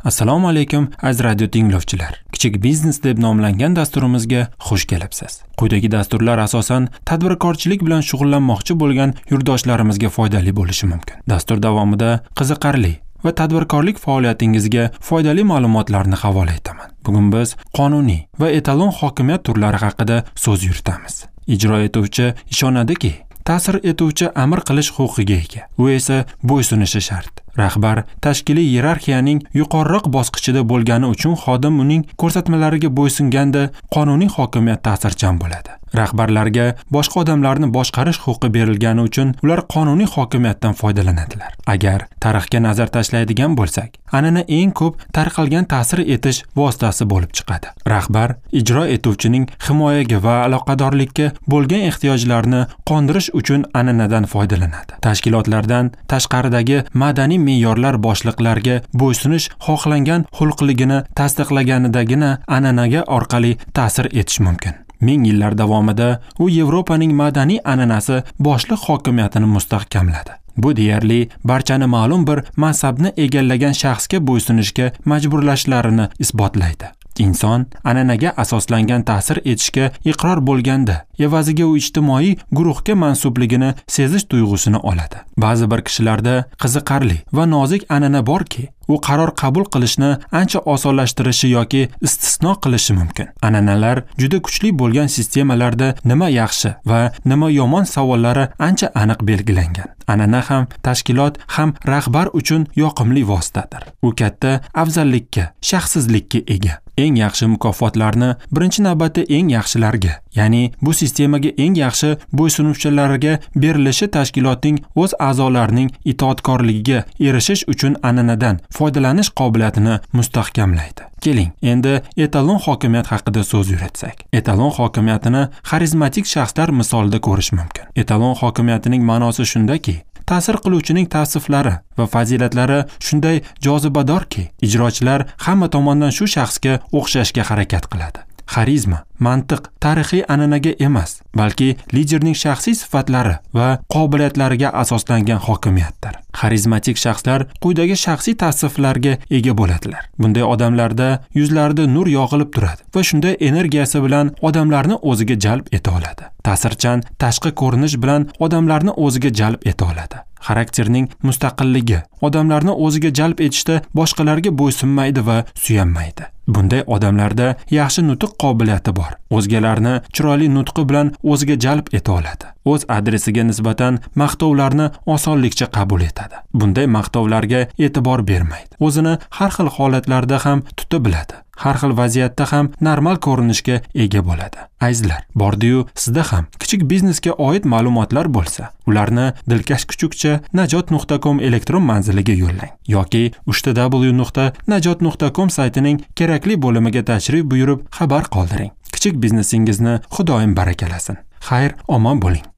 Assalomu alaykum aziz radio tinglovchilar. Kichik biznes deb nomlangan dasturimizga xush kelibsiz. Quyidagi dasturlar asosan tadbirkorchilik bilan shug'ullanmoqchi bo'lgan yurtdoshlarimizga foydali bo'lishi mumkin. Dastur davomida qiziqarli va tadbirkorlik faoliyatingizga foydali ma'lumotlarni havola etaman. Bugun biz qonuniy va etalon hokimiyat turlari haqida so'z yuritamiz. Ijro etuvchi ishonadiki, ta'sir etuvchi amr qilish huquqiga ega. U esa bo'ysunishi shart. Rahbar tashkiliy iyerarxiyaning yuqoriroq bosqichida bo'lgani uchun xodim uning ko'rsatmalariga bo'ysunganda qonuniy hokimiyat ta'sirchan bo'ladi. Rahbarlarga boshqa odamlarni boshqarish huquqi berilgani uchun ular qonuniy hokimiyatdan foydalanadilar. Agar tarixga nazar tashlaydigan bo'lsak, an'ana eng ko'p tarqalgan ta'sir etish vositasi bo'lib chiqadi. Rahbar ijro etuvchining himoyaga va aloqadorlikka bo'lgan ehtiyojlarini qondirish uchun an'anadan foydalanadi. Tashkilotlardan tashqaridagi madaniy me'yorlar boshliqlarga bo'ysunish xohlangan xulqligini tasdiqlaganidagina an'anaga orqali ta'sir etish mumkin. Ming yillar davomida u Yevropaning madaniy an'anasi boshliq hokimiyatini mustahkamladi. Bu deyarli barchani ma'lum bir mansabni egallagan shaxsga bo'ysunishga majburlashlarini isbotlaydi. Inson an'anaga asoslangan ta'sir etishga iqror bo'lganda, evaziga u ijtimoiy guruhga mansubligini sezish tuyg'usini oladi. Ba'zi bir kishilarda qiziqarli va nozik an'ana borki, u qaror qabul qilishni ancha osonlashtirishi yoki istisno qilishi mumkin. An'analar juda kuchli bo'lgan sistemalarda nima yaxshi va nima yomon savollari ancha aniq belgilangan. An'ana ham tashkilot ham rahbar uchun yoqimli vositadir. U katta afzallikka, shaxsizlikka ega. Eng yaxshi mukofotlarni birinchi navbatda eng yaxshilarga, ya'ni bu sistemaga eng yaxshi bo'ysunuvchilarga berilishi tashkilotning o'z a'zolarining itoatkorligiga erishish uchun an'anadan foydalanish qobiliyatini mustahkamlaydi. Keling, endi etalon hokimiyat haqida so'z yuritsak. Etalon hokimiyatini xarizmatik shaxslar misolida ko'rish mumkin. Etalon hokimiyatining ma'nosi shundaki, ta'sir qiluvchining tavsiflari va fazilatlari shunday jozibadorki, ijrochilar hamma tomondan shu shaxsga o'xshashga harakat qiladi. Xarizma, mantiq, tarixiy an'anaga emas, balki liderning shaxsiy sifatlari va qobiliyatlariga asoslangan hokimiyatdir. Xarizmatik shaxslar quyidagi shaxsiy tavsiflarga ega bo'ladilar. Bunday odamlarda yuzlarida nur yog'ilib turadi va shunday energiyasi bilan odamlarni o'ziga jalb eta oladi. Ta'sirchan tashqi ko'rinish bilan odamlarni o'ziga jalb eta oladi. Xarakterning mustaqilligi odamlarni o'ziga jalb etishda boshqalarga bo'ysunmaydi va suyanmaydi. Bunday odamlarda yaxshi nutq qobiliyati bor. O'zgalarni chiroyli nutqi bilan o'ziga jalb eta oladi. O'z adresiga nisbatan maqtovlarni osonlikcha qabul etadi. Bunday maqtovlarga e'tibor bermaydi. O'zini har xil holatlarda ham tuta biladi. Har xil vaziyatda ham normal ko'rinishga ega bo'ladi. Azizlar, bordi-yu sizda ham kichik biznesga oid ma'lumotlar bo'lsa, ularni dilkash kuchukcha najot.com elektron manziliga yo'llang yoki www.najot.com saytining kerakli bo'limiga tashrif buyurib xabar qoldiring. Kichik biznesingizni Xudoyim barakalasin. Xayr, omon bo'ling.